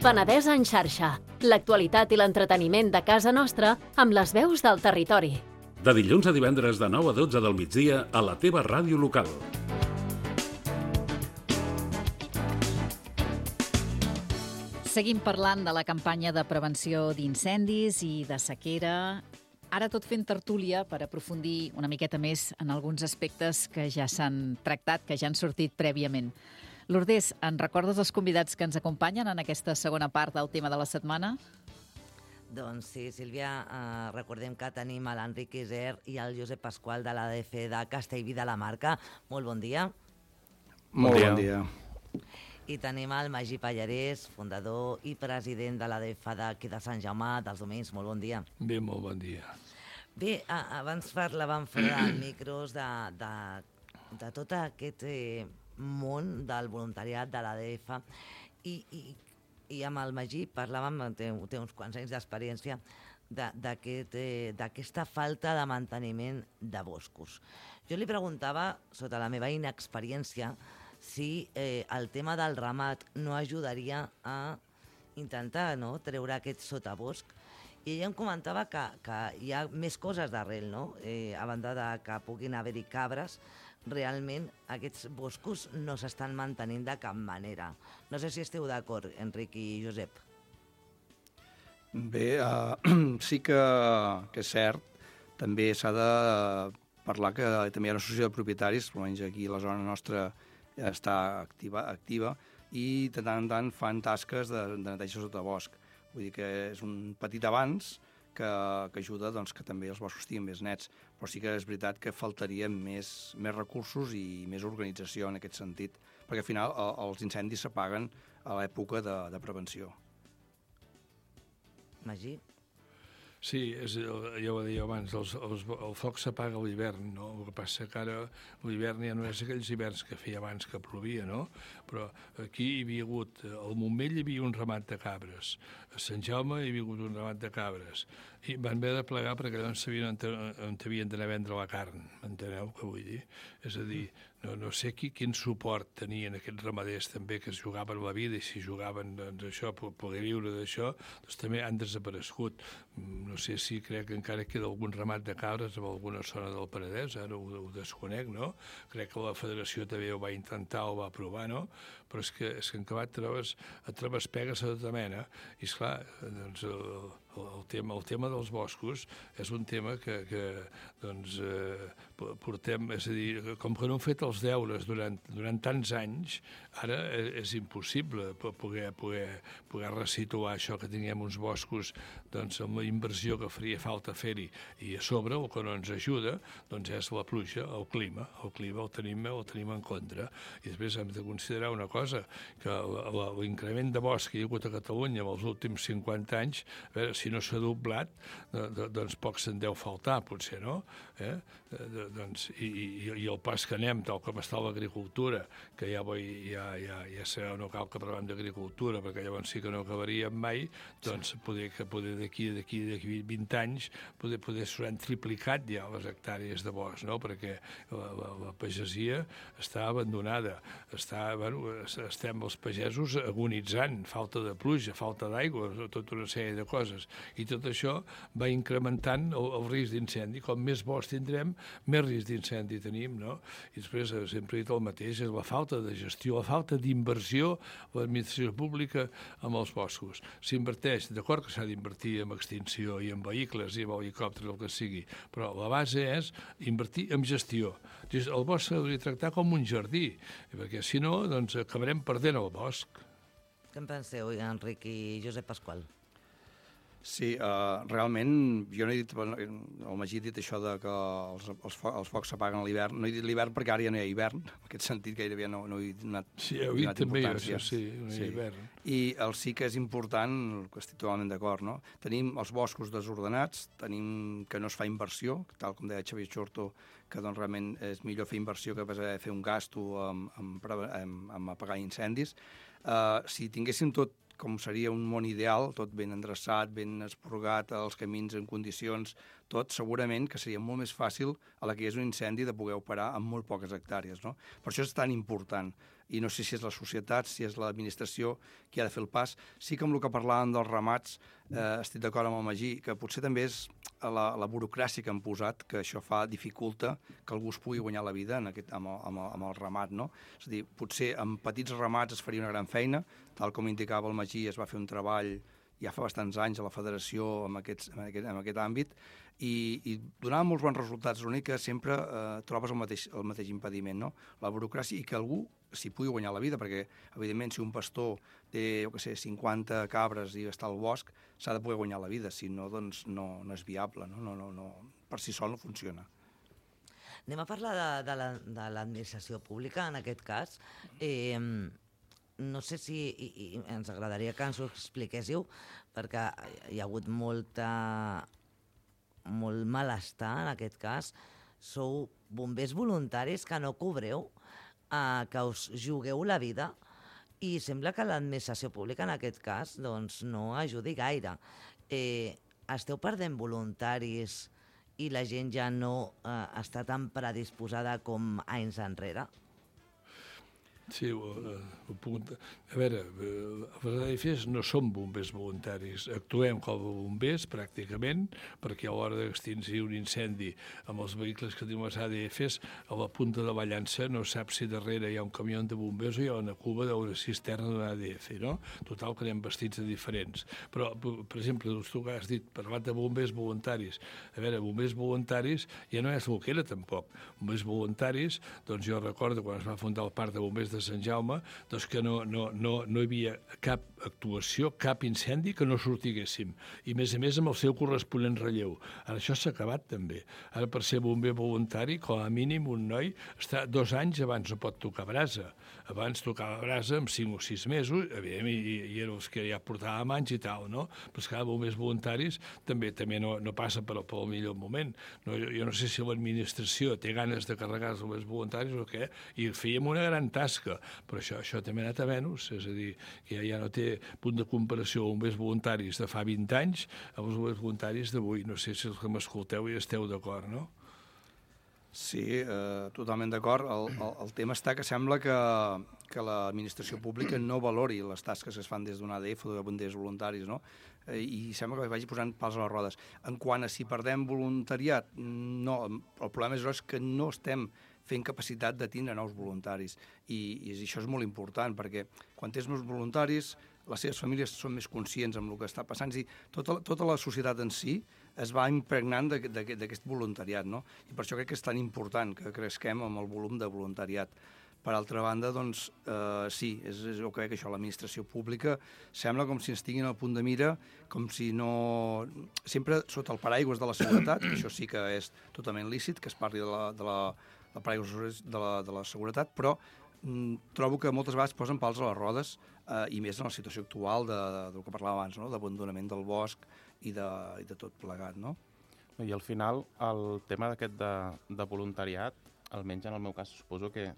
Penedès en xarxa. L'actualitat i l'entreteniment de casa nostra amb les veus del territori. De dilluns a divendres de 9 a 12 del migdia a la teva ràdio local. Seguim parlant de la campanya de prevenció d'incendis i de sequera. Ara tot fent tertúlia per aprofundir una miqueta més en alguns aspectes que ja s'han tractat, que ja han sortit prèviament. Lourdes, en recordes els convidats que ens acompanyen en aquesta segona part del tema de la setmana? Doncs sí, Sílvia, recordem que tenim l'Enric Iser i el Josep Pasqual de l'ADF de Castellví de la Marca. Molt bon dia. Molt bon dia. I tenim el Magí Pallarès, fundador i president de l'ADF d'aquí de Sant Jaume dels Domenys. Molt bon dia. Bé, molt bon dia. Bé, abans parlàvem fora de micros de tot aquest món del voluntariat de l'ADF i amb el Magí parlàvem, té uns quants anys d'experiència, d'aquesta falta de manteniment de boscos. Jo li preguntava, sota la meva inexperiència, si el tema del ramat no ajudaria a intentar treure aquest sotabosc. I ella em comentava que hi ha més coses d'arrel, no? A banda de que puguin haver-hi cabres, realment aquests boscos no s'estan mantenint de cap manera. No sé si esteu d'acord, Enric i Josep. Bé, sí que és cert. També s'ha de parlar que també hi ha una associació de propietaris, almenys aquí a la zona nostra està activa i de tant en tant fan tasques de neteja sota bosc. Vull dir que és un petit avanç que ajuda que també els boscos estiguin més nets, però sí que és veritat que faltarien més recursos i més organització en aquest sentit, perquè al final els incendis s'apaguen a l'època de prevenció. Magí? Sí, ja ho deia abans, el foc s'apaga a l'hivern, no? El que passa que ara l'hivern ja no és aquells hiverns que feia abans que plovia, no? Però aquí hi havia hagut, al Montmell hi havia un ramat de cabres, a Sant Jaume hi havia hagut un ramat de cabres, i van haver de plegar perquè no sabien on havien d'anar a vendre la carn, m'enteneu què vull dir? És a dir, no sé quin suport tenien aquests ramaders també que es jugaven la vida i si jugaven això, poder viure d'això, doncs també han desaparegut. No sé si crec que encara queda algun ramat de cabres en alguna zona del Penedès, ara ho desconec, no? Crec que la federació també ho va intentar, ho va provar, no? Però és que en acabat et trobes pegues a tota mena i, esclar, doncs el tema dels boscos és un tema que portem, és a dir, com que no hem fet els deures durant tants anys, ara és impossible poder resituar això, que tinguem uns boscos amb la inversió que faria falta fer-hi, i a sobre el que no ens ajuda és la pluja, el clima el tenim en contra, i després hem de considerar una cosa, que l'increment de bosc que hi ha hagut a Catalunya en els últims 50 anys, a veure, si no s'ha doblat, doncs poc se'n deu faltar, potser, no? I el pas que anem, tal com està l'agricultura, que ja serà, no cal que parlem d'agricultura, perquè llavors sí que no acabaríem mai, doncs poder d'aquí 20 anys poder s'hauran triplicat ja les hectàrees de bosc, no? Perquè la pagesia està abandonada, estem els pagesos agonitzant, falta de pluja, falta d'aigua, tota una sèrie de coses, i tot això va incrementant el risc d'incendi. Com més bosc tindrem, més risc d'incendi tenim, no? I després sempre he dit el mateix, és la falta de gestió, la falta d'inversió de l'administració pública amb els boscos. S'inverteix, d'acord que s'ha d'invertir en extinció i en vehicles i en helicòpters, el que sigui, però la base és invertir en gestió. El bosc s'hauria de tractar com un jardí, perquè si no, doncs acabarem perdent el bosc. Què en penseu, Enric i Josep Pasqual? Sí, realment, jo no he dit, el Magí ha dit això de que els focs s'apaguen a l'hivern. No he dit l'hivern perquè ara ja no hi ha hivern, en aquest sentit gairebé no he donat importància. Sí, heu dit també això, sí, no hi ha hivern. I sí que és important, que estic totalment d'acord, no? Tenim els boscos desordenats, tenim que no es fa inversió, tal com deia Xavier Xorto, que doncs realment és millor fer inversió que fer un gasto en apagar incendis. Si tinguéssim tot com seria un món ideal, tot ben endreçat, ben esporgat, els camins en condicions, tot segurament que seria molt més fàcil a la que hi és un incendi de poder operar amb molt poques hectàrees, no? Per això és tan important. i no sé si és la societat, si és l'administració qui ha de fer el pas. Sí que amb el que parlàvem dels ramats estic d'acord amb el Magí, que potser també és la burocràcia que han posat, que això dificulta que algú es pugui guanyar la vida amb el ramat, no? És a dir, potser amb petits ramats es faria una gran feina, tal com indicava el Magí, es va fer un treball ja fa bastants anys a la federació en aquest àmbit, i donava molts bons resultats. L'únic que sempre trobes el mateix impediment, no? La burocràcia, i que algú s'hi pugui guanyar la vida, perquè, evidentment, si un pastor té, 50 cabres i està al bosc, s'ha de poder guanyar la vida, si no, doncs no és viable, no, per si sol no funciona. Anem a parlar de l'administració pública, en aquest cas. No sé si ens agradaria que ens ho expliquéssiu, perquè hi ha hagut molt malestar en aquest cas. Sou bombers voluntaris que no cobreu, que us jugueu la vida, i sembla que l'administració pública en aquest cas doncs, no ajudi gaire. Esteu perdent voluntaris i la gent ja no està tan predisposada com anys enrere? Sí, a veure, els ADFs no som bombers voluntaris, actuem com a bombers pràcticament, perquè a l'hora d'extingir un incendi amb els vehicles que tenim les ADFs, a la punta de la llança no saps si darrere hi ha un camió de bombers o hi ha una cuba d'una cisterna d'un ADF, no? Total, que anem vestits de diferents. Però, per exemple, tu que has dit, parlat de bombers voluntaris. A veure, bombers voluntaris ja no és el que era tampoc. Bombers voluntaris, doncs jo recordo quan es va fundar el parc de bombers de Sant Jaume, doncs que no hi havia cap actuació, cap incendi que no sortiguéssim. I, a més, amb el seu corresponent relleu. Ara això s'ha acabat, també. Ara, per ser bomber voluntari, com a mínim, un noi està 2 anys abans no pot tocar brasa. Abans tocava brasa amb 5 o 6 mesos, i eren els que ja portàvem anys i tal, no? Però és que ara bombers voluntaris també no passa pel millor moment. Jo no sé si l'administració té ganes de carregar els bombers voluntaris o què, i fèiem una gran tasca, però això també ha anat a menys, és a dir, que ja no té punt de comparació bombers voluntaris de fa 20 anys amb els bombers voluntaris d'avui. No sé si els que m'escolteu hi esteu d'acord, no? Sí, totalment d'acord. El tema està que sembla que l'administració pública no valori les tasques que es fan des d'un ADF o de bombers voluntaris, no? I sembla que vagi posant pals a les rodes. En quant a si perdem voluntariat, no, el problema és que no estem fent capacitat de tindre nous voluntaris. I això és molt important, perquè quan tens nous voluntaris, les seves famílies són més conscients amb el que està passant. És a dir, tota la societat en si es va impregnant d'aquest voluntariat, no? I per això crec que és tan important que cresquem amb el volum de voluntariat. Per altra banda, doncs, sí, jo crec que això, l'administració pública sembla com si ens tinguin al punt de mira, com si no... Sempre sota el paraigües de la seguretat, que això sí que és totalment lícit, que es parli de la paraigües de la seguretat, però trobo que moltes vegades posen pals a les rodes, i més en la situació actual del que parlàvem abans, no? D'abandonament del bosc i de tot plegat, no? I al final, el tema d'aquest de voluntariat, almenys en el meu cas, suposo que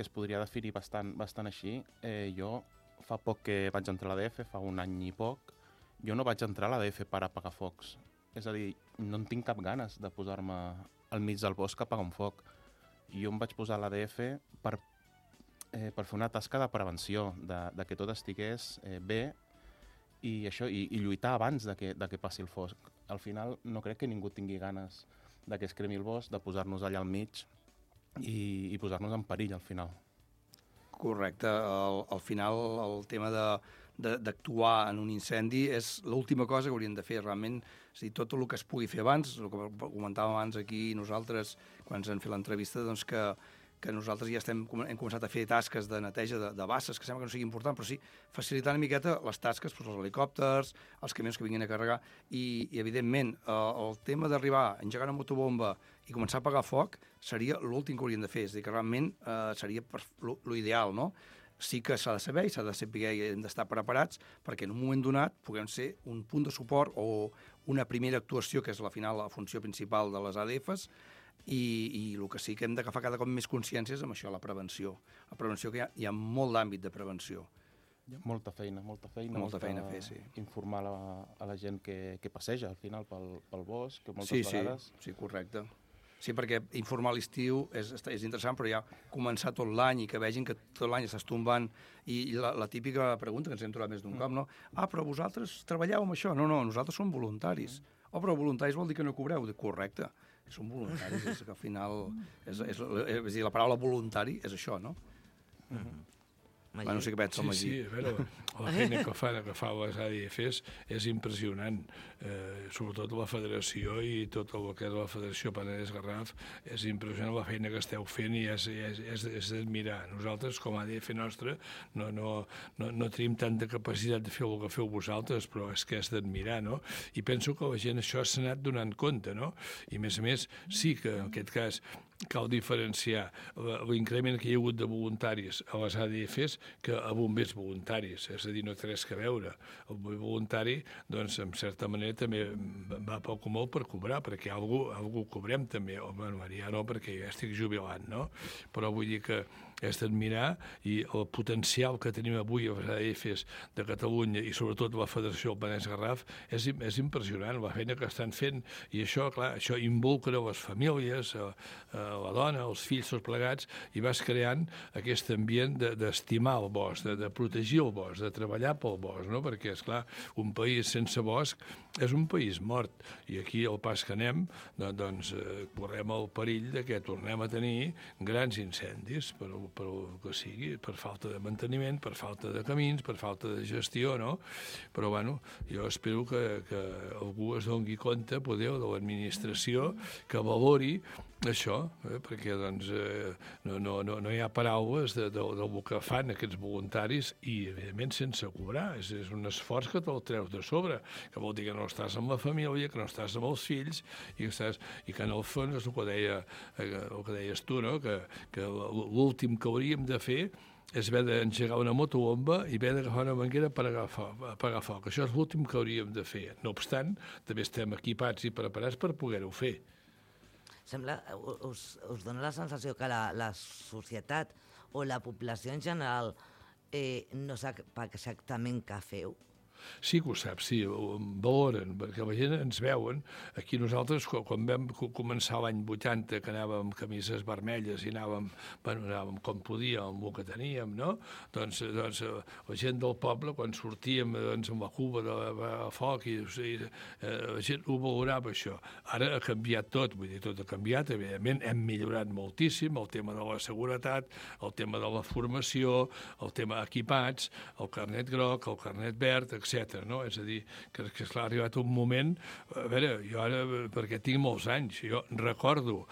es podria definir bastant així. Jo fa poc que vaig entrar a l'ADF, fa 1 any i poc, jo no vaig entrar a l'ADF per apagar focs. És a dir, no en tinc cap ganes de posar-me al mig del bosc a apagar un foc. Jo em vaig posar a l'ADF per fer una tasca de prevenció, de que tot estigués bé i lluitar abans de que passi el foc. Al final no crec que ningú tingui ganes de que es cremi el bosc, de posar-nos allà al mig i posar-nos en perill al final. Correcte. Al final el tema d'actuar en un incendi és l'última cosa que hauríem de fer realment. És a dir, tot el que es pugui fer abans, el que comentàvem abans aquí nosaltres, quan ens han fet l'entrevista, doncs que nosaltres ja hem començat a fer tasques de neteja de basses, que sembla que no sigui important, però sí facilitar una miqueta les tasques, els helicòpters, els camions que vinguin a carregar, i evidentment, el tema d'arribar, engegar una motobomba i començar a apagar foc seria l'últim que hauríem de fer, és a dir, que realment seria l'ideal, no? Sí que s'ha de saber i s'ha de saber i hem d'estar preparats perquè en un moment donat puguem ser un punt de suport o una primera actuació, que és la funció principal de les ADFs, i el que sí que hem d'agafar cada cop més consciències amb això, la prevenció. La prevenció, que hi ha molt d'àmbit de prevenció. Molta feina a fer, sí. Informar a la gent que passeja al final pel bosc, que moltes vegades... Sí, correcte. Sí, perquè informar a l'estiu és interessant, però ja començar tot l'any i que vegin que tot l'any estàs tombant i la típica pregunta que ens hem trobat més d'un cop, no? Ah, però vosaltres treballeu amb això? No, nosaltres som voluntaris. Oh, però voluntaris vol dir que no cobreu? Dic, correcte, som voluntaris, és que al final... És a dir, la paraula voluntari és això, no? Bueno, no sé què pensa el Magí. Sí, a veure, la feina que fa les ADFs és impressionant. Sobretot la federació i tot el que és la Federació Penedès-Garraf, és impressionant la feina que esteu fent i és d'admirar. Nosaltres, com a ADF nostra, no tenim tanta capacitat de fer el que feu vosaltres, però és que és d'admirar, no? I penso que la gent això s'ha anat donant compte, no? I a més, sí que en aquest cas cal diferenciar l'increment que hi ha hagut de voluntaris a les ADFs que a bombers voluntaris, és a dir, no té res que veure. El bomber voluntari, doncs, en certa manera, també va poc o molt per cobrar, perquè algú cobrem també, o bueno, ja no, perquè ja estic jubilant, no? Però vull dir que és d'admirar i el potencial que tenim avui a les ADFs de Catalunya i sobretot la Federació del Penedès-Garraf és impressionant la feina que estan fent i això, clar, això involucra les famílies, la dona, els fills, tots plegats, i vas creant aquest ambient d'estimar el bosc, de protegir el bosc, de treballar pel bosc, no? Perquè, esclar, un país sense bosc és un país mort, i aquí al pas que anem, doncs correm el perill de que tornem a tenir grans incendis, per que sigui, per falta de manteniment, per falta de camins, per falta de gestió, no? Però, bueno, jo espero que algú es doni compte, poder, de l'administració, que valori això, perquè doncs, no hi ha paraules del que fan aquests voluntaris i, evidentment, sense cobrar. És un esforç que te'l treus de sobre, que vol dir que no estàs amb la família, que no estàs amb els fills i que en el fons és el que deies tu, no? Que l'últim que hauríem de fer és haver d'engegar una motobomba i haver d'agafar una manguera per apagar foc. Això és l'últim que hauríem de fer. No obstant, també estem equipats i preparats per poder-ho fer. Sembla, us dona la sensació que la societat o la població en general no sap exactament què feu? Sí que ho saps, sí, ho valoren, perquè la gent ens veuen. Aquí nosaltres, quan vam començar l'any 80, que anàvem amb camises vermelles i anàvem com podíem, amb el que teníem, no? Doncs la gent del poble, quan sortíem amb la cuba de foc, la gent ho valorava, això. Ara ha canviat tot, vull dir, tot ha canviat, evidentment, hem millorat moltíssim, el tema de la seguretat, el tema de la formació, el tema equipats, el carnet groc, el carnet verd, etc. No? És a dir, que ha arribat un moment... A veure, jo ara, perquè tinc molts anys, jo recordo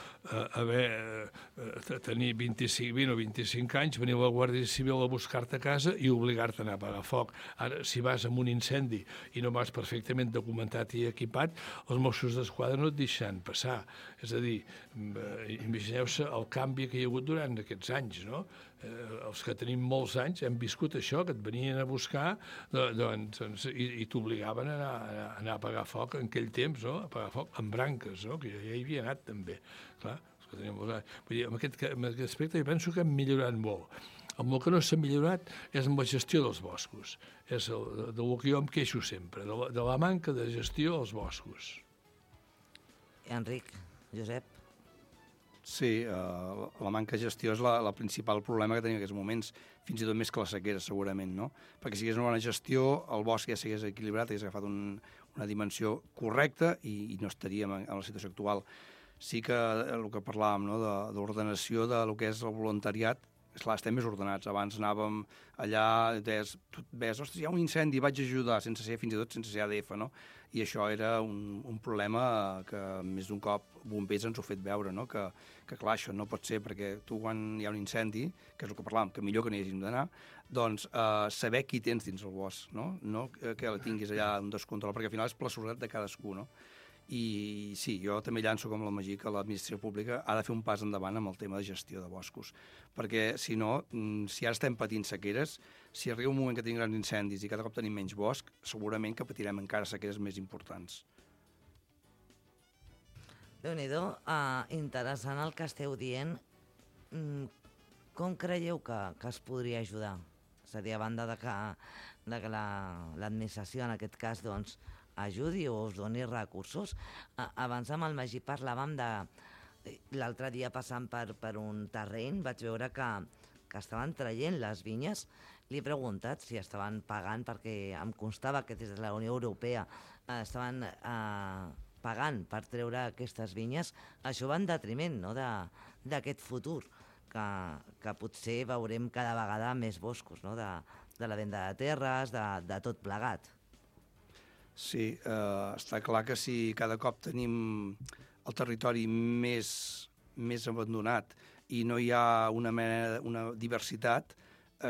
tenir 20 o 25 anys, venir a la Guàrdia Civil a buscar-te a casa i obligar-te a anar a apagar foc. Ara, si vas amb un incendi i no vas perfectament documentat i equipat, els Mossos d'Esquadra no et deixen passar. És a dir, imagineu-se el canvi que hi ha hagut durant aquests anys, no? Els que tenim molts anys hem viscut això, que et venien a buscar i t'obligaven a anar a apagar foc en aquell temps, no? A apagar foc amb branques, no? Que jo ja hi havia anat també. Clar, els que tenim molts anys. Vull dir, en aquest aspecte jo penso que hem millorat molt. El que no s'ha millorat és amb la gestió dels boscos. És del que jo em queixo sempre, de la manca de gestió dels boscos. Enric, Josep? Sí, la manca de gestió és el principal problema que tenim en aquests moments, fins i tot més que la sequera, segurament, no? Perquè si hi hagués una bona gestió, el bosc ja s'hagués equilibrat, hagués agafat una dimensió correcta i no estaríem en la situació actual. Sí que el que parlàvem, no?, d'ordenació del que és el voluntariat, esclar, estem més ordenats. Abans anàvem allà, ves, ostres, hi ha un incendi, vaig ajudar, fins i tot sense ser ADF, no? I això era un problema que més d'un cop bombers ens ho ha fet veure, no? Que clar, això no pot ser, perquè tu quan hi ha un incendi, que és el que parlàvem, que millor que n'hi hàgim d'anar, doncs saber qui tens dins el bosc, no? No que la tinguis allà un descontrol, perquè al final és per la seguretat de cadascú, no? I sí, jo també llanço com la Magí que l'administració pública ha de fer un pas endavant amb el tema de gestió de boscos, perquè si no, si ara estem patint sequeres, si arriba un moment que tenim grans incendis i cada cop tenim menys bosc, segurament que patirem encara sequeres més importants. Déu-n'hi-do, interessant el que esteu dient. Com creieu que es podria ajudar? És a dir, a banda de que l'administració, en aquest cas, doncs, ajudi o us doni recursos. Abans amb el Magí parlàvem l'altre dia passant per un terreny vaig veure que estaven traient les vinyes. Li he preguntat si estaven pagant, perquè em constava que des de la Unió Europea estaven pagant per treure aquestes vinyes. Això va en detriment, no?, d'aquest futur, que potser veurem cada vegada més boscos, no?, de la venda de terres, de tot plegat. Sí, està clar que si cada cop tenim el territori més abandonat i no hi ha una diversitat,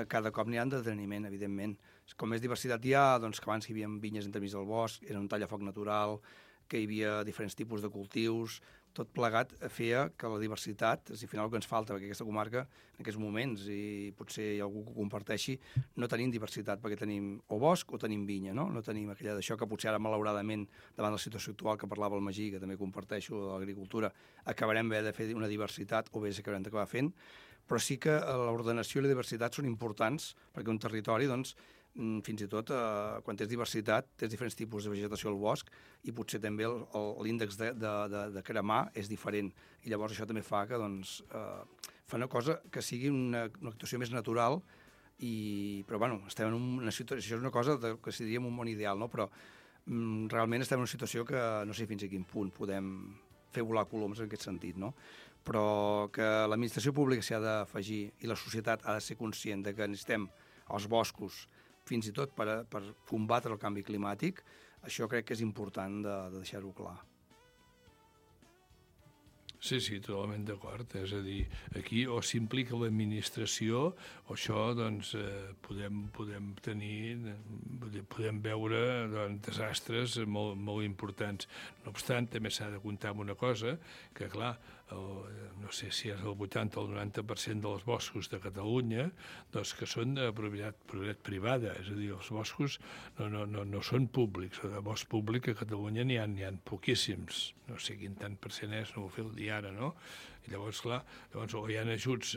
cada cop n'hi ha en deteniment, evidentment. Com més diversitat hi ha, doncs que abans hi havia vinyes entremig del bosc, era un tallafoc natural, que hi havia diferents tipus de cultius, tot plegat feia que la diversitat, al final el que ens falta, perquè aquesta comarca, en aquests moments, i potser hi ha algú que ho comparteixi, no tenim diversitat, perquè tenim o bosc o tenim vinya, no? No tenim aquella d'això que potser ara, malauradament, davant de la situació actual que parlava el Magí, que també comparteixo de l'agricultura, acabarem de fer una diversitat, o bé s'acabarem d'acabar fent, però sí que l'ordenació i la diversitat són importants, perquè un territori, doncs, fins i tot, quan tens diversitat, tens diferents tipus de vegetació al bosc i potser també l'índex de cremar és diferent. I llavors això també fa que fa una cosa que sigui una actuació més natural, però bueno, estem en una situació, això és una cosa que si diríem un món ideal, no? Però realment estem en una situació que no sé fins a quin punt podem fer volar coloms en aquest sentit, no? Però que l'administració pública s'hi ha d'afegir i la societat ha de ser conscient de que necessitem els boscos fins i tot per combatre el canvi climàtic, això crec que és important de deixar-ho clar. Sí, totalment d'acord. És a dir, aquí o s'implica l'administració o això, doncs, podem veure desastres molt importants. No obstant, també s'ha de comptar amb una cosa, que, clar, no sé si és el 80 o el 90% dels boscos de Catalunya, doncs que són de propietat privada, és a dir, els boscos no són públics. De bosc públic a Catalunya n'hi ha poquíssims, no sé quin tant percent és, no ho feu dir ara, no? I llavors, clar, o hi ha ajuts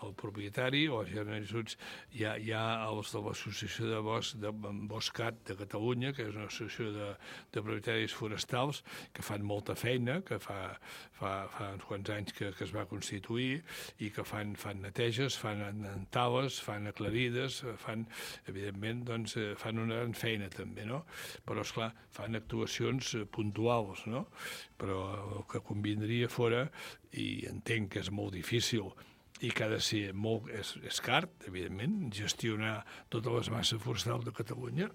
al propietari o hi ha ajuts... Hi ha els de l'Associació de Boscat de Catalunya, que és una associació de propietaris forestals, que fan molta feina, que fa uns quants anys que es va constituir i que fan neteges, fan tales, fan aclarides, evidentment, doncs, fan una gran feina també, no? Però, esclar, fan actuacions puntuals, no? Però el que convindria fora, i entenc que és molt difícil i que ha de ser molt... És car, evidentment, gestionar totes les masses forestals de Catalunya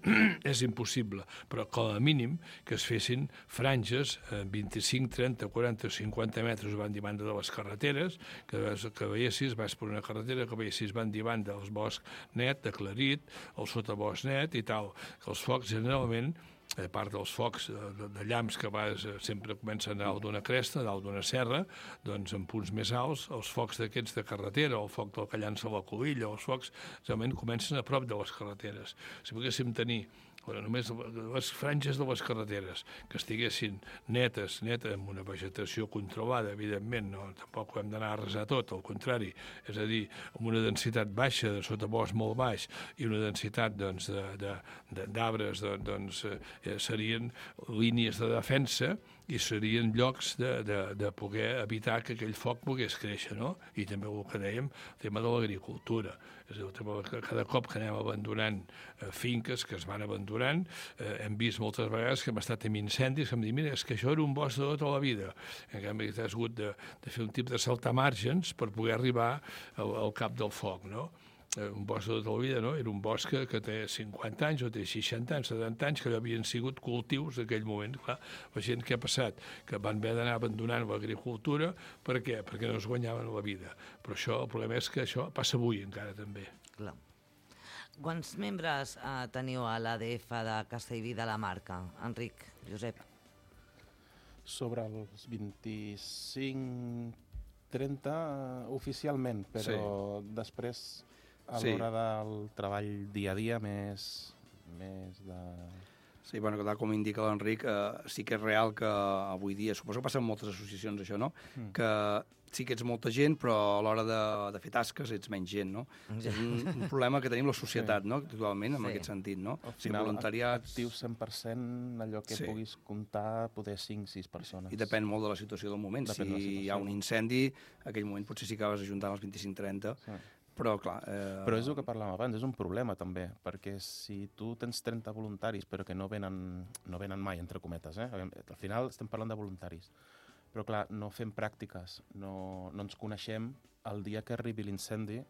és impossible, però com a mínim que es fessin franges 25, 30, 40, 50 metres van banda de les carreteres, que veiessis, vas per una carretera, que veiessis van banda del bosc net, aclarit, el sotabosc net i tal, que els focs generalment, a part dels focs de llamps que sempre comencen a dalt d'una cresta, a dalt d'una serra, doncs en punts més alts, els focs d'aquests de carretera, el foc del que llança la covilla, els focs realment comencen a prop de les carreteres. Si poguéssim tenir només les franges de les carreteres que estiguessin netes, amb una vegetació controlada, evidentment, no, tampoc hem d'anar a arrasar tot, al contrari, és a dir, amb una densitat baixa, de sotabosc molt baix, i una densitat d'arbres, serien línies de defensa i serien llocs de poder evitar que aquell foc pogués créixer, no? I també el que dèiem, el tema de l'agricultura. És a dir, cada cop que anem abandonant finques que es van abandonant, hem vist moltes vegades que hem estat amb incendis que hem dit, mira, és que això era un bosc de tota la vida. En canvi, has hagut de fer un tipus de saltar margens per poder arribar al cap del foc, no? Un bosc de tota la vida, no? Era un bosc que té 50 anys o té 60 anys, 70 anys, que havien sigut cultius d'aquell moment. Clar, la gent que ha passat, que van haver d'anar abandonant l'agricultura, per què? Perquè no es guanyaven la vida. Però el problema és que això passa avui encara també. Clar. Quants membres teniu a l'ADF de Castellví de la Marca, Enric, Josep? Sobre els 25, 30 oficialment, però després... a l'hora del treball dia a dia més de... Sí, bueno, com indica l'Enric, sí que és real que avui dia, suposo que passa en moltes associacions això, no? Que sí que ets molta gent, però a l'hora de fer tasques ets menys gent, no? És un problema que tenim la societat, no? Actualment, en aquest sentit, no? Al final, voluntariats... actius 100%, allò que puguis comptar, poder 5-6 persones. I depèn molt de la situació del moment. Si hi ha un incendi, en aquell moment potser sí que vas ajuntant els 25-30, però clar... Però és el que parlàvem abans, és un problema també, perquè si tu tens 30 voluntaris però que no venen mai, entre cometes, al final estem parlant de voluntaris, però clar, no fem pràctiques, no ens coneixem, el dia que arribi l'incendi,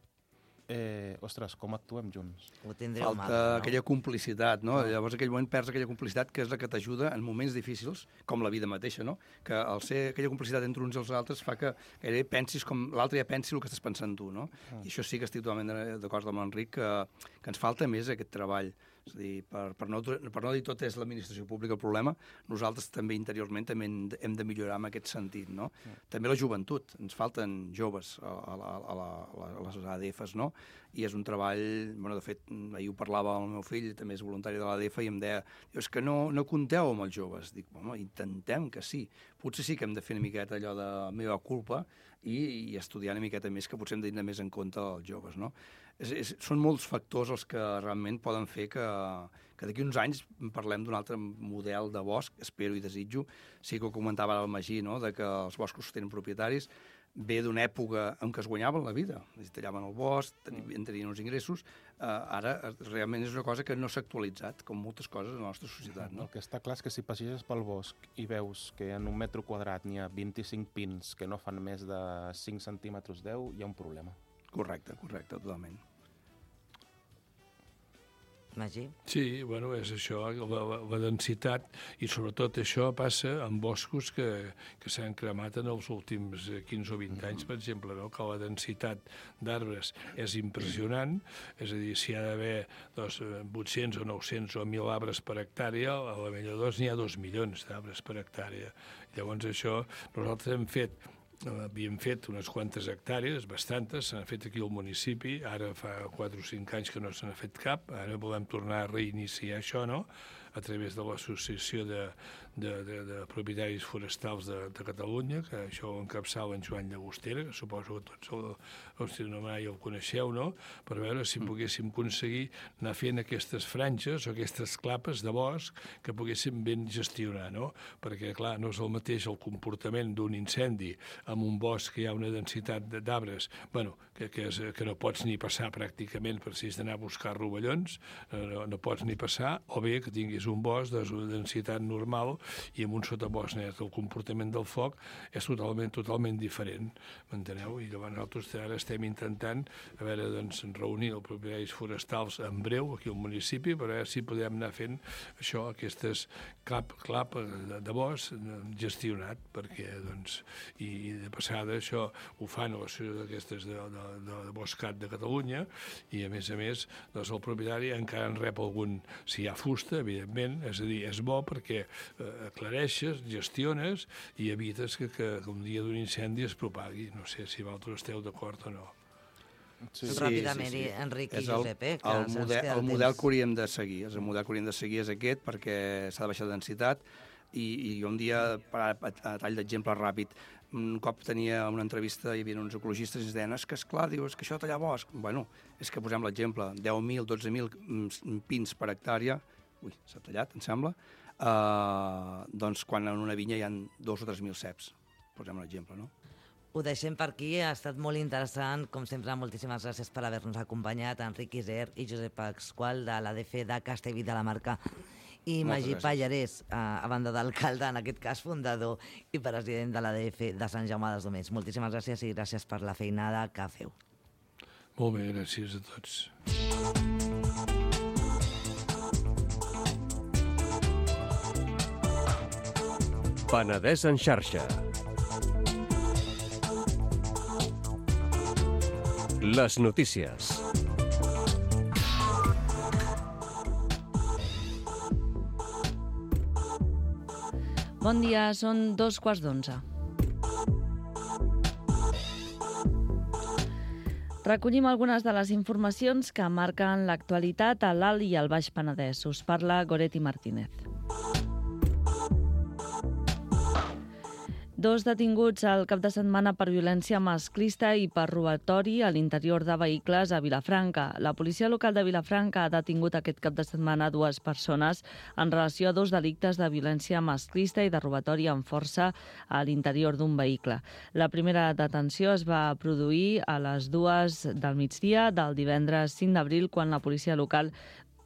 ostres, com actuem junts? Falta aquella complicitat, no? Llavors, en aquell moment perds aquella complicitat que és la que t'ajuda en moments difícils, com la vida mateixa, no? Que al ser aquella complicitat entre uns i els altres fa que gairebé pensis com l'altre ja pensi el que estàs pensant tu, no? I això sí que estic totalment d'acord amb l'Enric, que ens falta més aquest treball. És a dir, per no dir tot és l'administració pública el problema, nosaltres també interiorment també hem de millorar en aquest sentit, no? També la joventut, ens falten joves a les ADFs, no? I és un treball, bueno, de fet, ahir ho parlava amb el meu fill, també és voluntari de l'ADF, i em deia, és que no compteu amb els joves. Dic, home, intentem que sí. Potser sí que hem de fer una miqueta allò de meva culpa i estudiar una miqueta més, que potser hem de tenir més en compte els joves, no? Són molts factors els que realment poden fer que d'aquí uns anys parlem d'un altre model de bosc, espero i desitjo. Sí que ho comentava ara el Magí, no?, de que els boscos tenen propietaris, ve d'una època en què es guanyaven la vida, es tallaven el bosc, tenien uns ingressos, ara realment és una cosa que no s'ha actualitzat, com moltes coses en la nostra societat, no? El que està clar és que si passeges pel bosc i veus que en 1 metre quadrat n'hi ha 25 pins que no fan més de 5 centímetres 10, hi ha un problema. Correcte, totalment. Magí? Sí, bueno, és això, la densitat, i sobretot això passa en boscos que s'han cremat en els últims 15 o 20 anys, per exemple, no? Que la densitat d'arbres és impressionant, és a dir, si hi ha d'haver 800 o 900 o 1.000 arbres per hectàrea, a la Melladors n'hi ha 2 milions d'arbres per hectàrea. Llavors això, nosaltres havíem fet unes quantes hectàrees, bastantes, s'han fet aquí al municipi, ara fa 4 o 5 anys que no se n'ha fet cap, ara volem tornar a reiniciar això, no?, a través de l'Associació de Propietaris Forestals de Catalunya, que això ho encapçala en Joan Llagostera, que suposo que tots el coneixeu, no?, per veure si poguéssim aconseguir anar fent aquestes franges o aquestes clapes de bosc que poguéssim ben gestionar, no?, perquè, clar, no és el mateix el comportament d'un incendi en un bosc que hi ha una densitat d'arbres, bueno, que no pots ni passar pràcticament per si has d'anar a buscar rovellons, no pots ni passar, o bé que tinguis un bosc de densitat normal i amb un sotabosc net. El comportament del foc és totalment diferent, m'enteneu? I llavors nosaltres ara estem intentant reunir els propietaris forestals en breu aquí al municipi per veure si podem anar fent això, aquestes clap de bosc gestionat, perquè, i de passada això ho fan a l'associació d'aquestes de Boscat de Catalunya, i a més, el propietari encara en rep algun, si hi ha fusta, evidentment, és a dir, és bo perquè aclareixes, gestiones i evites que un dia d'un incendi es propagui. No sé si vosaltres esteu d'acord o no. Sí. Ràpidament, sí. Enric i Josep, el model que hauríem de seguir. El model que hauríem de seguir és aquest, perquè s'ha de baixar de densitat, i un dia, a tall d'exemple ràpid, un cop tenia una entrevista, hi havia uns ecologistes i ens deien, és que esclar, dius, que això tallar bosc. Bueno, és que posem l'exemple, 10.000, 12.000 pins per hectàrea, s'ha tallat, em sembla, doncs quan en una vinya hi ha 2 o 3.000 ceps. Posem l'exemple, no? Ho deixem per aquí, ha estat molt interessant, com sempre, moltíssimes gràcies per haver-nos acompanyat, Enric Iser i Josep Pasqual de l'ADF de Castellví de la Marca, i Magí Pallarès, a banda d'alcalde, en aquest cas fundador i president de l'ADF de Sant Jaume dels Domenys. Moltíssimes gràcies i gràcies per la feinada que feu. Molt bé, gràcies a tots. Penedès en xarxa. Les notícies. Bon dia, són 2:15. Recollim algunes de les informacions que marquen l'actualitat a l'Alt i al Baix Penedès. Us parla Goretti Martínez. 2 detinguts al cap de setmana per violència masclista i per robatori a l'interior de vehicles a Vilafranca. La policia local de Vilafranca ha detingut aquest cap de setmana 2 persones en relació a 2 delictes de violència masclista i de robatori amb força a l'interior d'un vehicle. La primera detenció es va produir a les 2 del migdia del divendres 5 d'abril, quan la policia local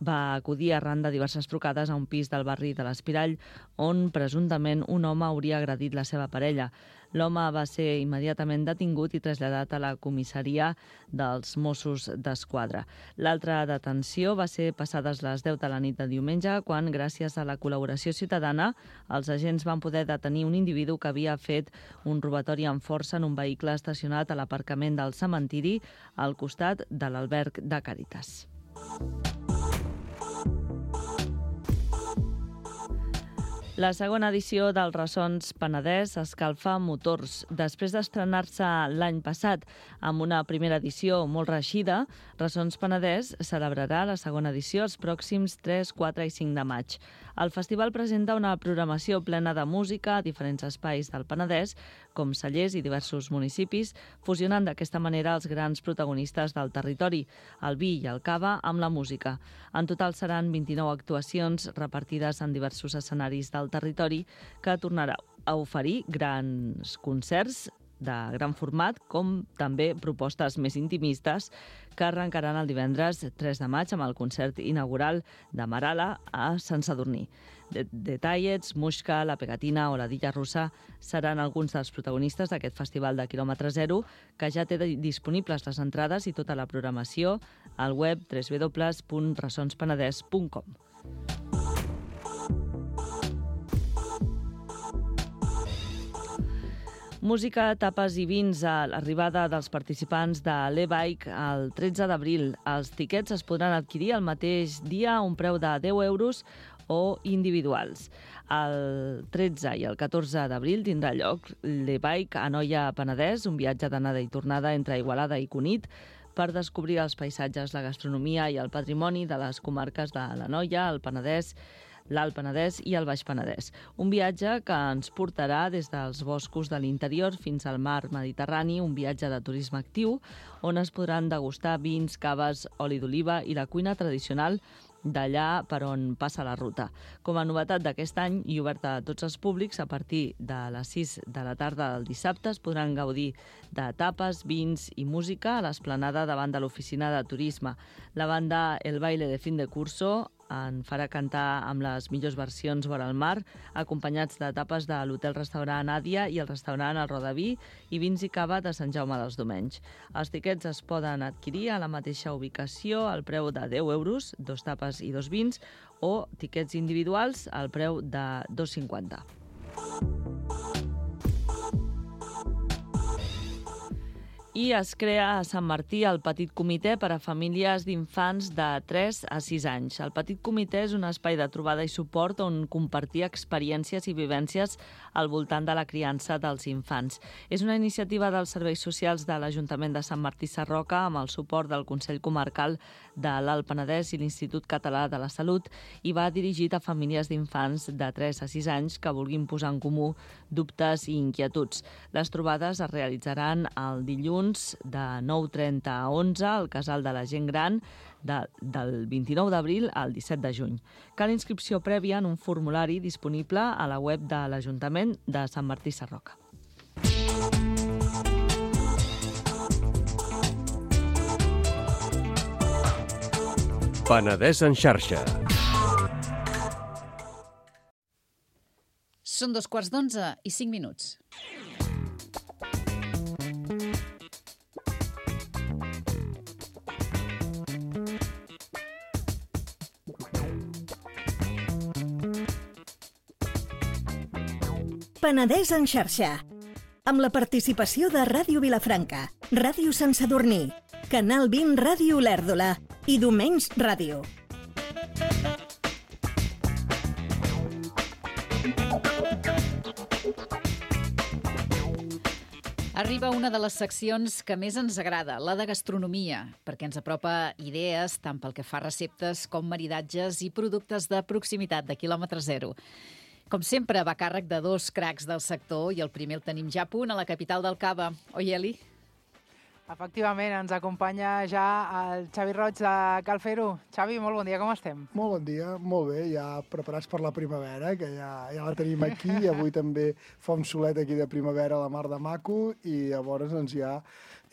va acudir arran de diverses trucades a un pis del barri de l'Espirall, on presumptament un home hauria agredit la seva parella. L'home va ser immediatament detingut i traslladat a la comissaria dels Mossos d'Esquadra. L'altra detenció va ser passades les 10 de la nit de diumenge, quan, gràcies a la col·laboració ciutadana, els agents van poder detenir un individu que havia fet un robatori amb força en un vehicle estacionat a l'aparcament del cementiri al costat de l'alberg de Càritas. La segona edició dels Ressons Penedès escalfa motors. Després d'estrenar-se l'any passat amb una primera edició molt reeixida, Ressons Penedès celebrarà la segona edició els pròxims 3, 4 i 5 de maig. El festival presenta una programació plena de música a diferents espais del Penedès, com cellers i diversos municipis, fusionant d'aquesta manera els grans protagonistes del territori, el vi i el cava, amb la música. En total seran 29 actuacions repartides en diversos escenaris del territori, que tornarà a oferir grans concerts de gran format, com també propostes més intimistes, que arrencaran el divendres 3 de maig amb el concert inaugural de Marala a Sant Sadurní. Detallets, Muixca, La Pegatina o la Dilla Russa seran alguns dels protagonistes d'aquest festival de quilòmetre zero, que ja té disponibles les entrades i tota la programació al web www.ressonspenedès.com. Música, tapes i vins a l'arribada dels participants de l'e-bike el 13 d'abril. Els tiquets es podran adquirir el mateix dia a un preu de 10 euros o individuals. El 13 i el 14 d'abril tindrà lloc l'e-bike a Noia Penedès, un viatge d'anada i tornada entre Igualada i Cunit, per descobrir els paisatges, la gastronomia i el patrimoni de les comarques de la Noia, el Penedès, l'Alt Penedès i el Baix Penedès. Un viatge que ens portarà des dels boscos de l'interior fins al mar Mediterrani, un viatge de turisme actiu, on es podran degustar vins, caves, oli d'oliva i la cuina tradicional d'allà per on passa la ruta. Com a novetat d'aquest any i oberta a tots els públics, a partir de les 6 de la tarda del dissabte es podran gaudir de tapes, vins i música a l'esplanada davant de l'oficina de turisme. La banda El Baile de Fin de Curso en farà cantar amb les millors versions vora el mar, acompanyats de tapes de l'hotel-restaurant Àdia i el restaurant El Rodaví i vins i cava de Sant Jaume dels Domenys. Els tiquets es poden adquirir a la mateixa ubicació al preu de 10 euros, 2 tapes i 2 vins, o tiquets individuals al preu de 2,50. I es crea a Sant Martí el Petit Comitè per a famílies d'infants de 3 a 6 anys. El Petit Comitè és un espai de trobada i suport on compartir experiències i vivències al voltant de la criança dels infants. És una iniciativa dels serveis socials de l'Ajuntament de Sant Martí Sarroca amb el suport del Consell Comarcal de l'Alt Penedès i l'Institut Català de la Salut i va dirigit a famílies d'infants de 3 a 6 anys que vulguin posar en comú dubtes i inquietuds. Les trobades es realitzaran el dilluns de 9:30 a 11 al Casal de la Gent Gran del 29 d'abril al 17 de juny. Cal inscripció prèvia en un formulari disponible a la web de l'Ajuntament de Sant Martí Sarroca. Penedès en xarxa. Són 11:45. Penedès en xarxa, amb la participació de Ràdio Vilafranca, Ràdio Sant Sadurní, Canal 20 Ràdio Olèrdola i Domenys Ràdio. Arriba una de les seccions que més ens agrada, la de gastronomia, perquè ens apropa idees tant pel que fa a receptes com maridatges i productes de proximitat de quilòmetre zero. Com sempre, va a càrrec de dos cracs del sector i el primer el tenim ja a punt a la capital del Cava. Oi, Eli? Efectivament, ens acompanya ja el Xavi Roig de Cal Fer-ho. Xavi, molt bon dia, com estem? Molt bon dia, molt bé, ja preparats per la primavera, que ja la tenim aquí, avui també fa un solet aquí de primavera a la mar de maco, i llavors doncs ja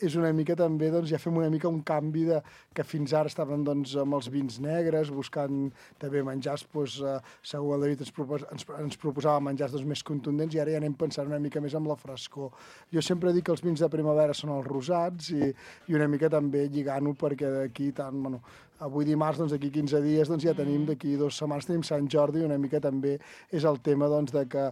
és una mica també, doncs ja fem una mica un canvi de que fins ara estàvem doncs amb els vins negres, buscant també menjars, doncs, segur el David ens proposava menjars doncs, més contundents, i ara ja anem pensant una mica més amb la frescor. Jo sempre dic que els vins de primavera són els rosats, i una mica també lligant-ho perquè d'aquí tant, bueno, avui dimarts, doncs d'aquí 15 dies, doncs ja tenim, d'aquí 2 setmanes tenim Sant Jordi, i una mica també és el tema doncs de que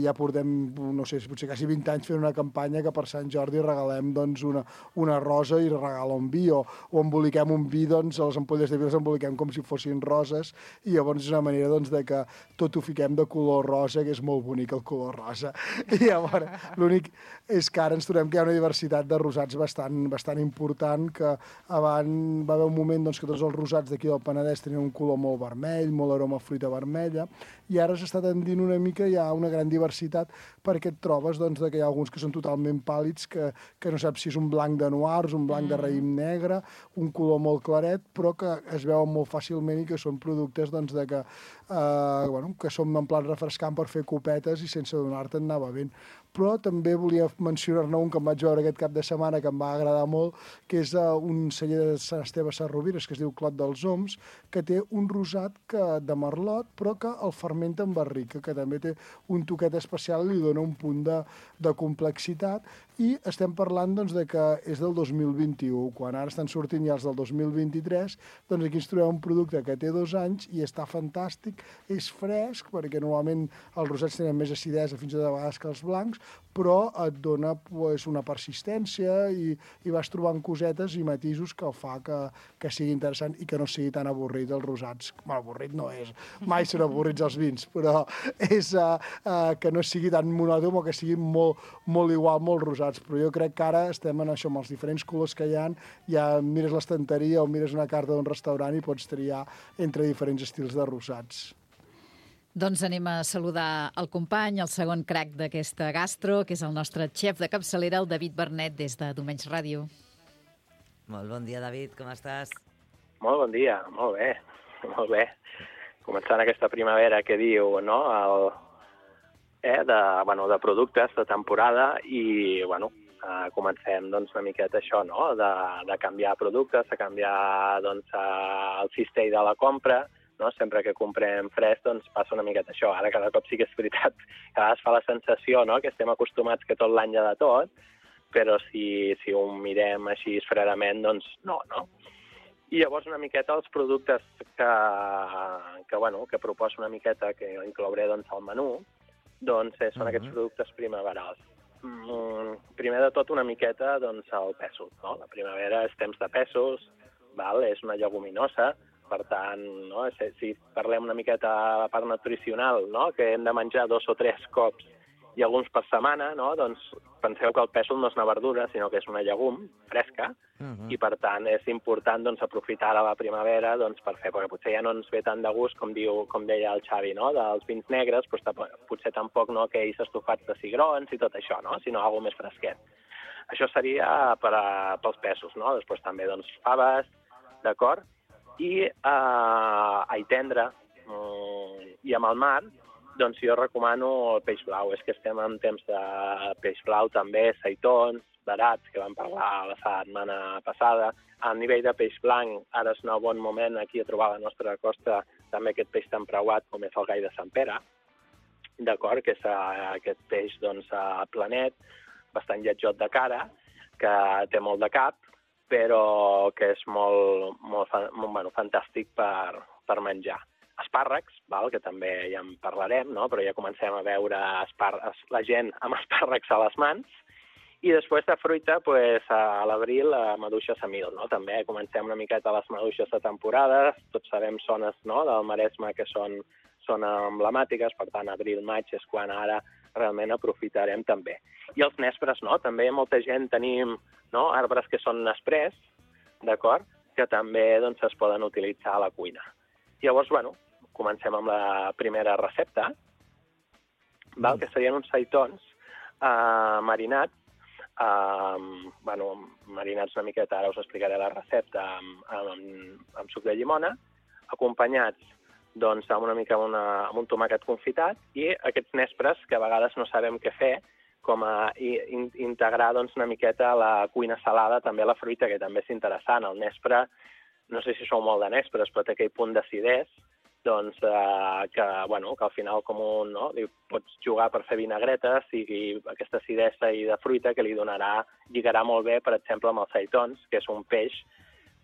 ja portem, no sé, potser quasi 20 anys fent una campanya que per Sant Jordi regalem doncs una rosa i regala un vi, o emboliquem un vi, doncs a les ampolles de vi les emboliquem com si fossin roses, i llavors és una manera doncs de que tot ho fiquem de color rosa, que és molt bonic el color rosa. I llavors l'únic és que ara ens trobem que hi ha una diversitat de rosats bastant important, que abans va haver un moment doncs, que tots els rosats d'aquí del Penedès tenien un color molt vermell, molt aroma a fruita vermella, i ara s'està tendint una mica, hi ha una gran diversitat, perquè et trobes doncs, que hi ha alguns que són totalment pàl·lids, que no saps si és un blanc de noirs, un blanc de raïm negre, un color molt claret, però que es veuen molt fàcilment i que són productes doncs, que són en plan refrescant per fer copetes i sense donar-te anar bevent. Però també volia mencionar-ne un que em vaig veure aquest cap de setmana, que em va agradar molt, que és un celler de Sant Esteve Sarrovires, que es diu Clot dels Oms, que té un rosat de merlot, però que el fermenta en barrica, que també té un toquet especial i li dona un punt de complexitat. I estem parlant doncs, de que és del 2021, quan ara estan sortint ja els del 2023, doncs aquí ens trobem un producte que té 2 anys i està fantàstic, és fresc, perquè normalment els rosats tenen més acidesa fins i tot a vegades que els blancs, però et dona una persistència i vas trobant cosetes i matisos que el fa que sigui interessant i que no sigui tan avorrit els rosats. Bueno, avorrit no és, mai són avorrits els vins, però és que no sigui tan monòton o que sigui molt igual, molt rosats. Però jo crec que ara estem en això, amb els diferents colors que hi ha, ja mires l'estanteria o mires una carta d'un restaurant i pots triar entre diferents estils de rosats. Doncs anem a saludar el company, el segon crac d'aquesta gastro, que és el nostre xef de capçalera, el David Bernet, des de Domenys Ràdio. Molt bon dia, David, com estàs? Molt bon dia, molt bé, molt bé. Començant aquesta primavera que diu, no?, de productes de temporada i, comencem doncs una miqueta això, no?, de canviar productes, de canviar doncs el cistell de la compra, no? Sempre que comprem fresc, doncs passa una miqueta això. Ara cada cop sí que és veritat que a vegades fa la sensació, no?, que estem acostumats que tot l'any hi ha de tot, però si ho mirem així fredament, doncs no. I llavors una miqueta els productes que proposo una miqueta, que inclouré doncs al menú, doncs són aquests productes primaverals. Primer de tot una miqueta doncs el pèsol, no? La primavera és temps de pèsols, és una lleguminosa. Per tant, no? Si parlem una miqueta a la part nutricional, no?, que hem de menjar 2 o 3 cops i alguns per setmana, no?, doncs penseu que el pèsol no és una verdura, sinó que és una llegum fresca, i per tant és important doncs, aprofitar la primavera doncs, per fer, perquè potser ja no ens ve tant de gust, com deia el Xavi, no?, dels vins negres, potser tampoc no aquells estofats de cigrons i tot això, no?, sinó alguna més fresquet. Això seria pels pèsols, no? Després també doncs, faves, d'acord? I ai tendre, i amb el mar, doncs jo recomano el peix blau. És que estem en temps de peix blau també, seitons, barats, que vam parlar la setmana passada. A nivell de peix blanc, ara és un bon moment aquí a trobar a la nostra costa també aquest peix tan preuat com és el gai de Sant Pere, d'acord? Que és aquest peix doncs, planet, bastant lletjot de cara, que té molt de cap, però que és molt fantàstic per menjar. Espàrrecs, que també ja en parlarem, no? Però ja comencem a veure la gent amb espàrrecs a les mans. I després de fruita, a l'abril, maduixes a mil. No? També comencem una miqueta les maduixes de temporada. Tots sabem zones, no?, del Maresme que són emblemàtiques, per tant, abril-maig és quan ara realment aprofitarem també. I els nespres, no? També molta gent tenim, no?, arbres que són nesprers, d'acord?, que també doncs, es poden utilitzar a la cuina. Llavors, comencem amb la primera recepta, que serien uns seitons marinats, marinats una miqueta, ara us explicaré la recepta, amb suc de llimona, acompanyats doncs, amb un tomàquet confitat i aquests nespres que a vegades no sabem què fer, com a integrar doncs, una miqueta a la cuina salada, també la fruita, que també és interessant. El nespre, no sé si sou molt de nespres, però té aquell punt d'acidès, doncs, que al final pots jugar per fer vinagretes i aquesta acidesa i de fruita que lligarà molt bé, per exemple, amb els seitons, que és un peix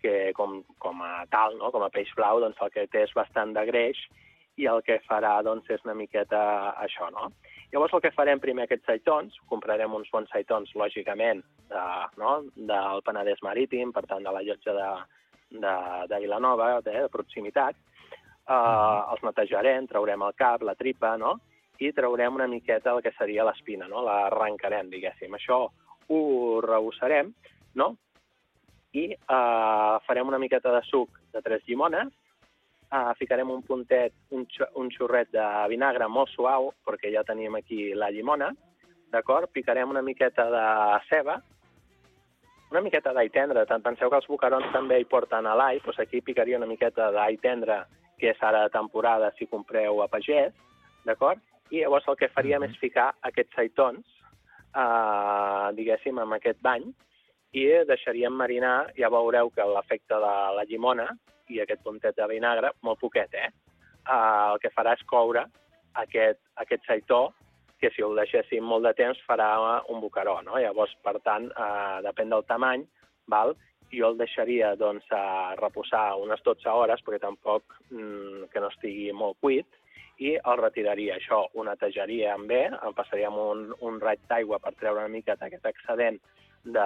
que com a tal, com a peix blau, doncs el que té és bastant de greix i el que farà doncs, és una miqueta això, no? Llavors el que farem primer aquests seitons, comprarem uns bons seitons, lògicament, del Penedès Marítim, per tant de la llotja de Vilanova, de proximitat, els netejarem, traurem el cap, la tripa, i traurem una miqueta el que seria l'espina, l'arrencarem, diguéssim. Això ho rebussarem, i farem una miqueta de suc de 3 llimones, ficarem un puntet, un xorret de vinagre molt suau, perquè ja tenim aquí la llimona, d'acord? Picarem una miqueta de ceba, una miqueta d'all tendre. Penseu que els boquerons també hi porten a l'all, doncs aquí picaria una miqueta d'all tendre, que és ara de temporada si compreu a pagès, d'acord? I llavors el que faríem és ficar aquests seitons, diguéssim, amb aquest bany, i deixaríem marinar, ja veureu que l'efecte de la llimona i aquest puntet de vinagre, molt poquet, el que farà és coure aquest seitó, que si el deixéssim molt de temps farà un boqueró, no? Llavors, per tant, depèn del tamany, jo el deixaria reposar unes 12 hores, perquè tampoc que no estigui molt cuit, i el retiraria. Això ho netejaríem bé, en passaríem un raig d'aigua per treure una mica aquest excedent de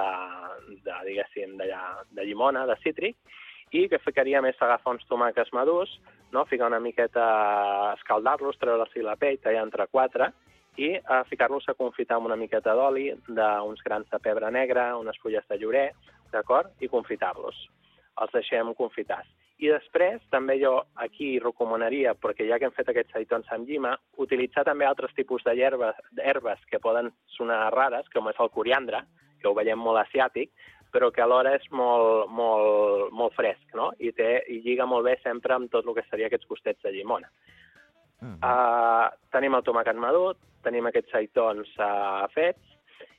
llimona, de cítric, i que ficaríem és agafar uns tomàquets madurs, ficar una miqueta, escaldar-los, treure-los la pell, tallar entre 4, i ficar-los a confitar amb una miqueta d'oli, d'uns grans de pebre negre, unes fulles de llorer, d'acord? I confitar-los. Els deixem confitats. I després, també jo aquí recomanaria, perquè ja que hem fet aquests seitons amb llima, utilitzar també altres tipus d'herbes que poden sonar rares, com és el coriandre, que ho veiem molt asiàtic, però que alhora és molt fresc, no? I lliga molt bé sempre amb tot el que seria aquests gustets de llimona. Tenim el tomàquet madur, tenim aquests seitons fets,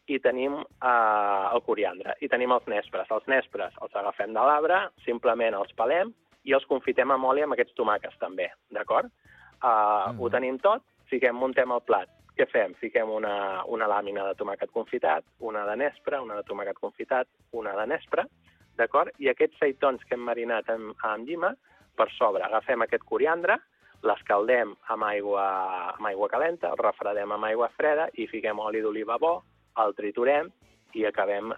i tenim el coriandre, i tenim els nespres. Els nespres els agafem de l'arbre, simplement els pelem i els confitem amb oli amb aquests tomàquets també, d'acord? Ho tenim tot, muntem el plat. Què fem? Fiquem una làmina de tomàquet confitat, una de nespre, una de tomàquet confitat, una de nespre, d'acord? I aquests seitons que hem marinat amb llima, per sobre agafem aquest coriandre, l'escaldem amb aigua calenta, el refredem amb aigua freda i fiquem oli d'oliva bo, el triturem i acabem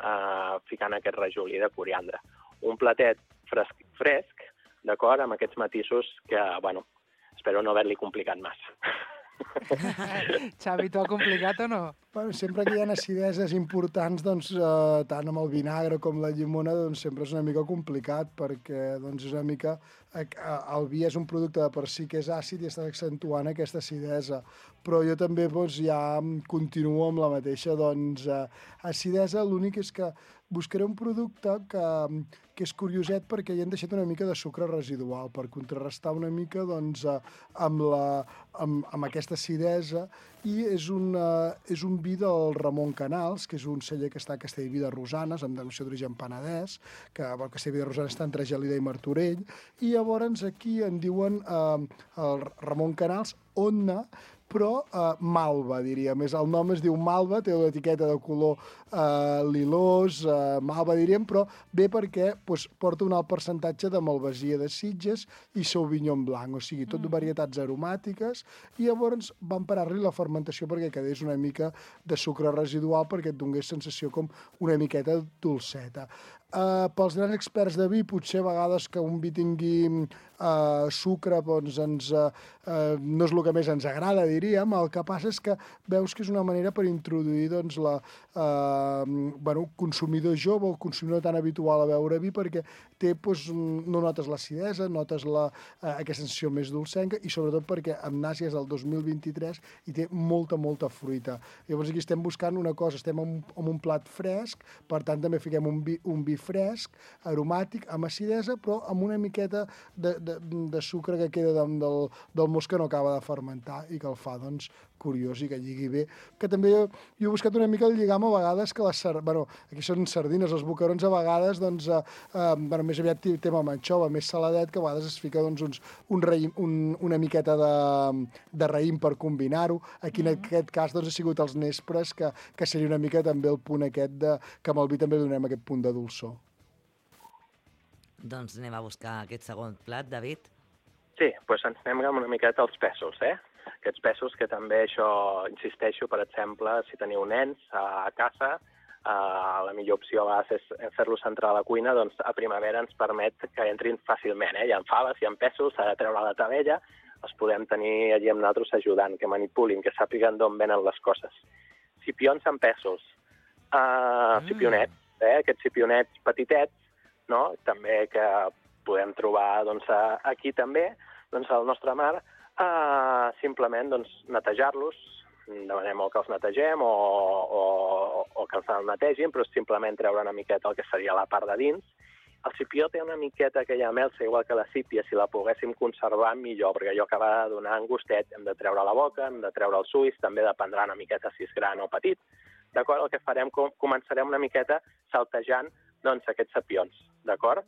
ficant aquest rajolí de coriandre. Un platet fresc, d'acord, amb aquests matisos que, espero no haver-li complicat massa. Xavi, t'ho ha complicat o no? Sempre que hi ha acideses importants, tant amb el vinagre com la llimona, sempre és una mica complicat, perquè és una mica... El vi és un producte de per si que és àcid i està accentuant aquesta acidesa. Però jo també ja continuo amb la mateixa acidesa. L'únic és que buscaré un producte que és curioset perquè hi han deixat una mica de sucre residual per contrarrestar una mica amb aquesta acidesa, i és un vi del Ramon Canals, que és un celler que està a Castellví de Rosanes, amb denominació d'origen penedès, que Castellví de Rosanes està entre Gelida i Martorell, i llavors aquí en diuen el Ramon Canals Onna, però malva, diríem. El nom es diu malva, té una etiqueta de color lilós, malva, diríem, però bé perquè porta un alt percentatge de malvasia de Sitges i Sauvignon Blanc, o sigui, tot varietats aromàtiques, i llavors van parar-li la fermentació perquè quedés una mica de sucre residual, perquè et donés sensació com una miqueta dolceta. Pels grans experts de vi, potser a vegades que un vi tingui sucre doncs, no és el que més ens agrada, diríem. El que passa és que veus que és una manera per introduir doncs, consumidor jove o consumidor tan habitual a beure vi, perquè té, doncs, no notes l'acidesa, notes aquesta sensació més dolcenca i sobretot perquè amb Nàsia és del 2023 i té molta fruita. Llavors aquí estem buscant una cosa, estem en un plat fresc, per tant també fiquem un vi fresc, aromàtic, amb acidesa, però amb una miqueta de sucre que queda del most que no acaba de fermentar i que el fa, doncs, curiós i que lligui bé. Que també jo he buscat una mica el lligam a vegades que aquí són sardines, els boquerons a vegades, doncs, més aviat tema manxova, més saladet, que a vegades es fica doncs, una miqueta de raïm per combinar-ho. Aquí en aquest cas doncs, ha sigut els nespres, que seria una mica també el punt aquest que amb el vi també donem aquest punt de dolçor. Doncs anem a buscar aquest segon plat, David. Sí, doncs ens anem amb una miqueta als pèsols, Aquests pèsols que també això, insisteixo, per exemple, si teniu nens a casa, la millor opció a vegades és fer-los entrar a la cuina, doncs a primavera ens permet que entrin fàcilment. Hi ha faves, hi ha pèsols, s'ha de treure la tabella, els podem tenir allí amb nosaltres ajudant, que manipulin, que sàpiguen d'on venen les coses. Cipions amb pèsols, cipionets, aquests cipionets petitets, no? També que podem trobar doncs, aquí també, doncs, al nostre mar, simplement doncs, netejar-los, demanem o que els netegem o que els netegin, però simplement treure una miqueta el que seria la part de dins. El cipió té una miqueta aquella melsa, igual que la sípia, si la poguéssim conservar millor, perquè allò que va donar un gustet hem de treure la boca, hem de treure els ulls, també dependrà una miqueta si és gran o petit. D'acord? El que farem, començarem una miqueta saltejant doncs, aquests cipions, d'acord?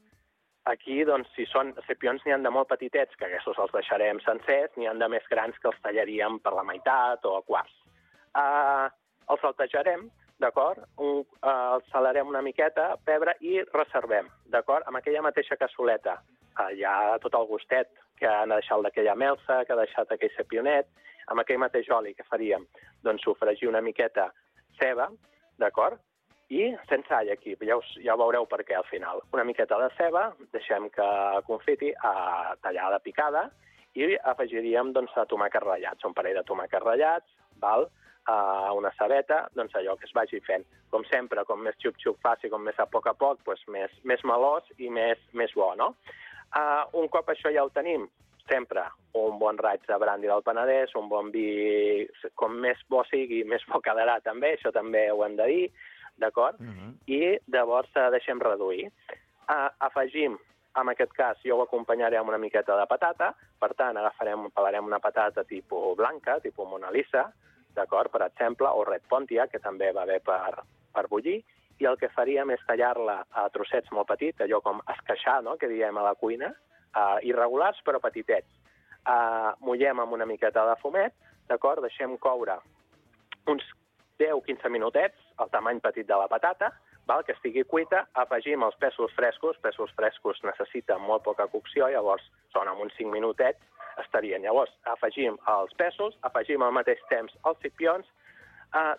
Aquí, doncs, si són cipions, n'hi ha de molt petitets, que aquests els deixarem sencers, n'hi ha de més grans que els tallaríem per la meitat o a quarts. Els saltejarem, d'acord? Els salarem una miqueta, pebre, i reservem, d'acord? Amb aquella mateixa cassoleta hi ha tot el gustet que han deixat d'aquella melsa, que ha deixat aquell cipionet, amb aquell mateix oli que faríem, doncs, sofregir una miqueta ceba, d'acord? I sense all aquí, ja ho veureu per què al final. Una miqueta de ceba, deixem que confiti, tallada picada, i afegiríem doncs, tomàquets ratllats, un parell de tomàquets ratllats, una cebeta, doncs allò que es vagi fent. Com sempre, com més xup-xup faci, com més a poc, doncs més melós i més bo, no? Un cop això ja ho tenim, sempre un bon raig de brandi del Penedès, un bon vi, com més bo sigui, més bo quedarà també, això també ho hem de dir, d'acord? I llavors deixem reduir. Afegim, en aquest cas, jo ho acompanyaré amb una miqueta de patata, per tant, pelarem una patata tipus blanca, tipus Mona Lisa, d'acord, per exemple, o Red Pontiac, que també va bé per bullir, i el que faríem és tallar-la a trossets molt petits, allò com esqueixar, no?, que diem a la cuina, irregulars però petitets. Mullem amb una miqueta de fumet, d'acord, deixem coure uns 10-15 minutets, el tamany petit de la patata, que estigui cuita, afegim els pèsols frescos necessiten molt poca cocció, llavors són amb uns 5 minutets estarien. Llavors afegim els pèsols, afegim al mateix temps els cipions,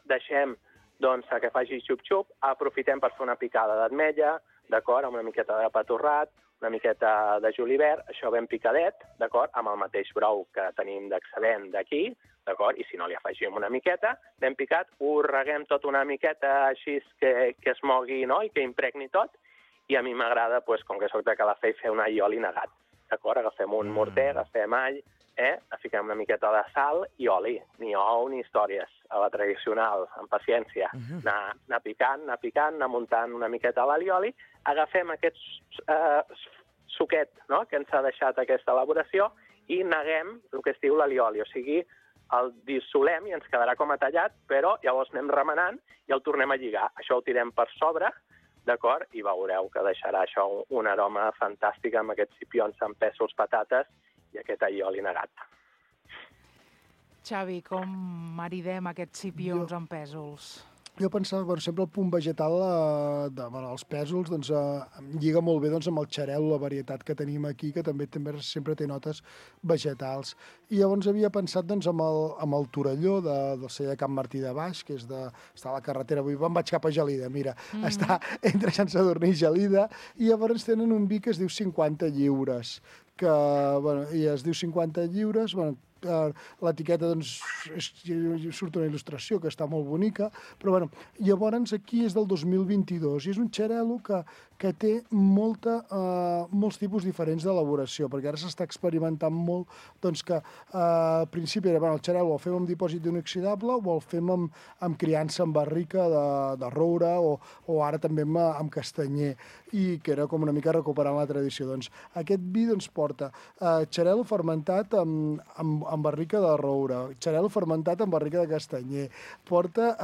deixem que faci xup-xup, aprofitem per fer una picada d'ametlla, d'acord, amb una miqueta de pa torrat, una miqueta de julivert, això ben picadet, d'acord, amb el mateix brou que tenim d'excedent d'aquí, d'acord, i si no li afegim una miqueta, ben picat, ho reguem tot una miqueta així que es mogui, no?, i que impregni tot, i a mi m'agrada, com que soc de Calafell, fer un all i oli negat, d'acord, agafem un morter, agafem all, fiquem una miqueta de sal i oli, ni ou ni històries, a la tradicional, amb paciència, anar picant, anar muntant una miqueta l'alioli, agafem aquest suquet, no?, que ens ha deixat aquesta elaboració i neguem el que es diu l'alioli, o sigui, el dissolem i ens quedarà com a tallat, però llavors anem remenant i el tornem a lligar. Això ho tirem per sobre, d'acord? I veureu que deixarà això un aroma fantàstic amb aquests cipions amb pèsols, patates i aquest allioli negat. Xavi, com maridem aquests cipions amb pèsols? Jo pensava, sempre el punt vegetal dels pèsols doncs, lliga molt bé amb el xarel, la varietat que tenim aquí, que també sempre té notes vegetals. I llavors havia pensat amb el Torelló del celler de Can Martí de Baix, que està a la carretera, avui me'n vaig cap a Gelida, mira, està entre Sant Sadurní i Gelida, i llavors tenen un vi que es diu 50 lliures, que i es diu 50 lliures, l'etiqueta doncs, surt una il·lustració que està molt bonica, però llavors aquí és del 2022 i és un xarel·lo que té molts tipus diferents d'elaboració, perquè ara s'està experimentant molt doncs, que al principi era el xarel·lo el fem amb dipòsit inoxidable o el fem amb criança en barrica de roure o ara també amb castanyer, i que era com una mica recuperant la tradició. Doncs aquest vi porta xarel·lo fermentat amb barrica de roure, xarel·lo fermentat amb barrica de castanyer, porta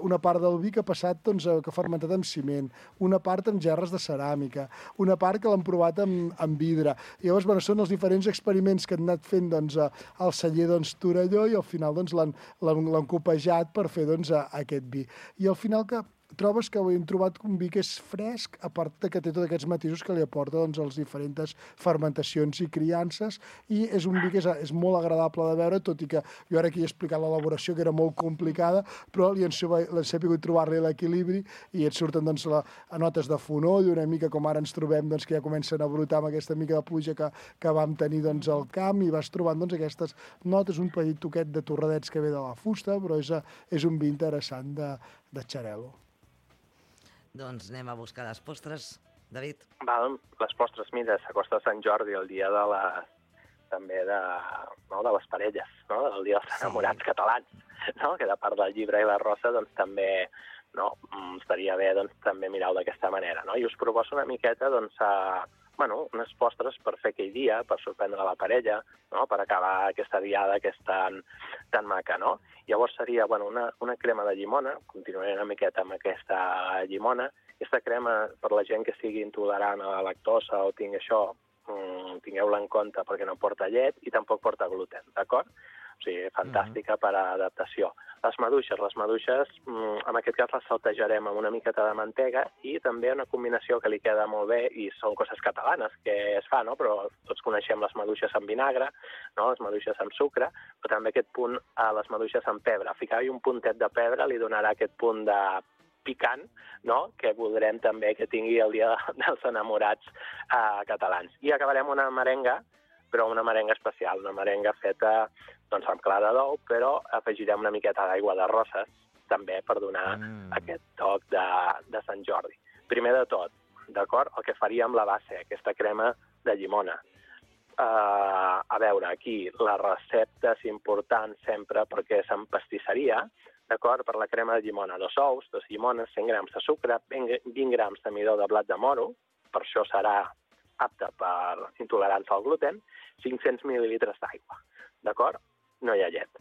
una part del vi que ha passat que ha fermentat amb ciment, una part amb gerres de ceràmica, una part que l'han provat amb vidre. I llavors són els diferents experiments que han anat fent al celler Torelló i al final l'han copejat per fer aquest vi. I al final que trobes que hem trobat un vi que és fresc, a part que té tots aquests matisos que li aporta les diferents fermentacions i criances, i és un vi que és molt agradable de veure, tot i que jo ara aquí he explicat l'elaboració, que era molt complicada, però li he sabut trobar-li l'equilibri i et surten notes de fonoll, una mica com ara ens trobem, que ja comencen a brotar amb aquesta mica de pluja que vam tenir al camp, i vas trobant aquestes notes, un petit toquet de torradets que ve de la fusta, però és un vi interessant de xarel·lo. Doncs anem a buscar les postres. David? Les postres, mira, s'acosta Sant Jordi, el dia també de les parelles, del dia dels enamorats catalans, que de part del llibre i la rosa també estaria bé també mirar-ho d'aquesta manera. I us proposo una miqueta unes postres per fer aquell dia, per sorprendre la parella, per acabar aquesta diada que és tan maca. Llavors seria una crema de llimona, continuaré una miqueta amb aquesta llimona. Aquesta crema, per la gent que sigui intolerant a la lactosa o tingui això, tingueu-la en compte perquè no porta llet i tampoc porta gluten, d'acord? O sigui, fantàstica per a adaptació. Les maduixes, en aquest cas les saltejarem amb una miqueta de mantega i també una combinació que li queda molt bé, i són coses catalanes que es fa, però tots coneixem les maduixes amb vinagre, les maduixes amb sucre, però també aquest punt a les maduixes amb pebre. Ficar-hi un puntet de pebre li donarà aquest punt de picant, que voldrem també que tingui el dia dels enamorats catalans. I acabarem una merenga, però una merenga especial, una merenga feta amb clara d'ou, però afegirem una miqueta d'aigua de roses, també per donar aquest toc de Sant Jordi. Primer de tot, d'acord, el que faríem la base, aquesta crema de llimona. A veure, aquí la recepta és important sempre perquè és en pastisseria, d'acord, per la crema de llimona, 2 ous, 2 llimones, 100 grams de sucre, 20 grams de midó de blat de moro, per això serà apte per intolerants al gluten, 500 mil·lilitres d'aigua, d'acord? No hi ha llet.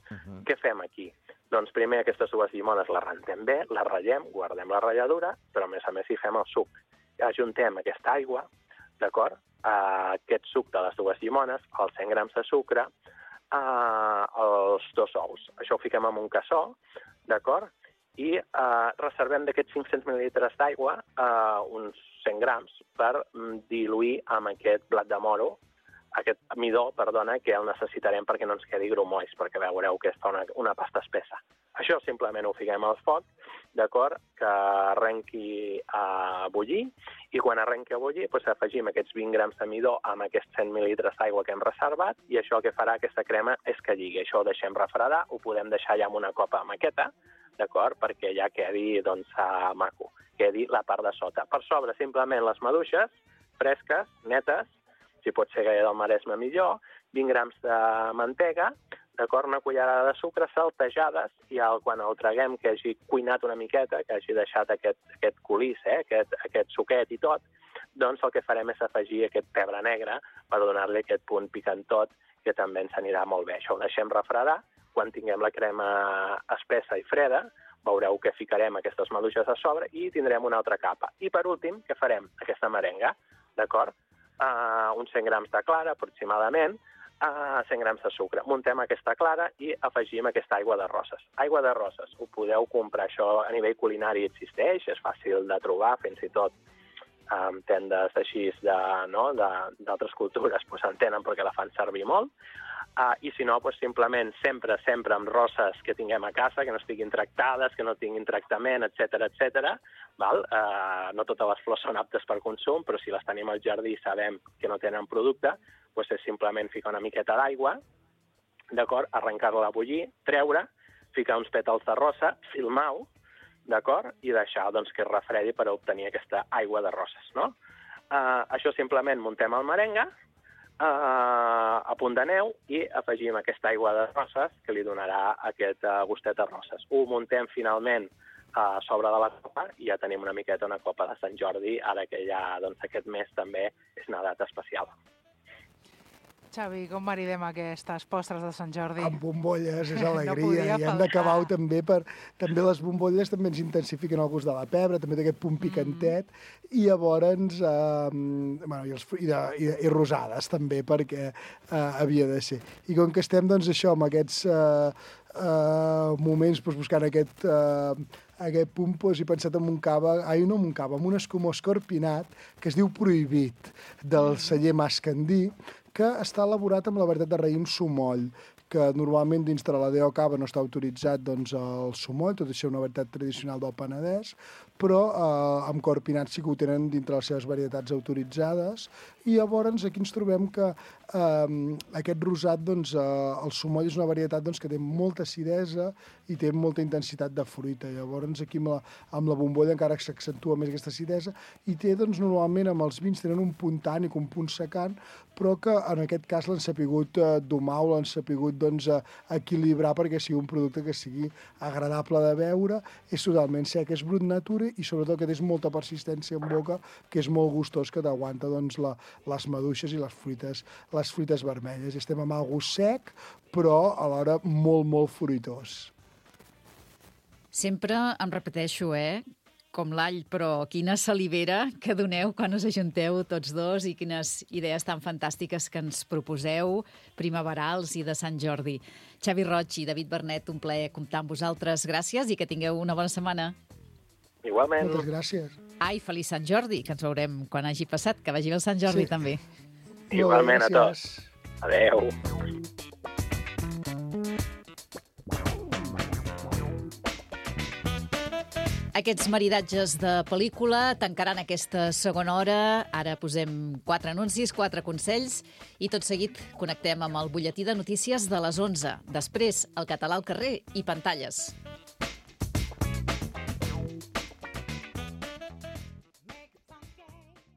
Què fem aquí? Doncs primer aquestes 2 llimones les rentem bé, les ratllem, guardem la ratlladura, però a més hi fem el suc. Ajuntem aquesta aigua, d'acord? Aquest suc de les 2 llimones, els 100 grams de sucre, els 2 ous. Això ho fiquem en un cassó, d'acord? I reservem d'aquests 500 mil·lilitres d'aigua uns 100 grams per diluir amb aquest blat de moro, aquest midó, que el necessitarem perquè no ens quedi grumolls, perquè veureu que és una pasta espessa. Això simplement ho fiquem al foc, d'acord, que arrenqui a bullir, i quan arrenqui a bullir afegim aquests 20 grams de midó amb aquests 100 mil·lilitres d'aigua que hem reservat, i això el que farà aquesta crema és que lligui. Això ho deixem refredar, ho podem deixar ja en una copa maqueta, d'acord, perquè ja quedi maco, quedi la part de sota. Per sobre, simplement les maduixes, fresques, netes, si pot ser gaire del Maresme millor, 20 grams de mantega, d'acord, una cullerada de sucre, saltejades, i quan el traguem que hagi cuinat una miqueta, que hagi deixat aquest colís, aquest suquet i tot, doncs el que farem és afegir aquest pebre negre per donar-li aquest punt picantot, que també ens anirà molt bé. Això ho deixem refredar, quan tinguem la crema espessa i freda, veureu que ficarem aquestes maduixes a sobre i tindrem una altra capa. I per últim, què farem? Aquesta merenga, d'acord? Uns 100 grams de clara, aproximadament, 100 grams de sucre. Muntem aquesta clara i afegim aquesta aigua de roses. Aigua de roses, ho podeu comprar, això a nivell culinari existeix, és fàcil de trobar, fins i tot tendes així d'altres cultures en tenen perquè la fan servir molt. I si no, simplement sempre amb roses que tinguem a casa, que no estiguin tractades, que no tinguin tractament, etc. No totes les flors són aptes per consum, però si les tenim al jardí i sabem que no tenen producte, doncs és simplement ficar una miqueta d'aigua, d'acord? Arrencar-la a bullir, treure, ficar uns pètals de rosa, filmar-ho, d'acord? I deixar doncs, que es refredi per obtenir aquesta aigua de roses, no? Això simplement muntem el merengue, a punt de neu i afegim aquesta aigua de roses que li donarà aquest gustet de roses. Ho muntem finalment a sobre de la copa i ja tenim una miqueta una copa de Sant Jordi, ara que ja doncs, aquest mes també és una data especial. Xavi, com maridem aquestes postres de Sant Jordi? Amb bombolles, és alegria. No podia I hem d'acabar-ho també també les bombolles també ens intensifiquen el gust de la pebre, també té aquest punt picantet, i llavors, i rosades també, perquè havia de ser. I com que estem, doncs, això, amb aquests moments, doncs, buscant aquest punt, doncs, he pensat en en un escumó escorpinat que es diu Prohibit, del celler Mascandí, que està elaborat amb la varietat de raïm sumoll, que normalment dins de la DO Cava no està autoritzat doncs, el sumoll, tot i ser una varietat tradicional del Penedès, però amb corpinat sí que ho tenen dintre les seves varietats autoritzades, i llavors aquí ens trobem que aquest rosat, doncs, el sumoll és una varietat doncs, que té molta acidesa i té molta intensitat de fruita. Llavors aquí amb la bombolla encara s'accentua més aquesta acidesa i té, doncs, normalment amb els vins tenen un punt tànic, un punt secant, però que en aquest cas l'han sapigut domar o l'han sapigut doncs, equilibrar perquè sigui un producte que sigui agradable de beure, és totalment sec, és brut natura i sobretot que té molta persistència en boca, que és molt gustós, que t'aguanta doncs, les maduixes i les fruites vermelles. Estem amb algú sec, però alhora molt, molt fruitós. Sempre em repeteixo, com l'all, però quina salivera que doneu quan us ajunteu tots dos i quines idees tan fantàstiques que ens proposeu, primaverals i de Sant Jordi. Xavi Roig i David Bernet, un plaer comptar amb vosaltres. Gràcies i que tingueu una bona setmana. Igualment. Moltes gràcies. Ai, feliç Sant Jordi, que ens veurem quan hagi passat. Que vagi bé el Sant Jordi, també. Igualment a tots. Adéu. Aquests maridatges de pel·lícula tancaran aquesta segona hora. Ara posem 4 anuncis, 4 consells i tot seguit connectem amb el butlletí de notícies de les 11. Després, el català al carrer i pantalles.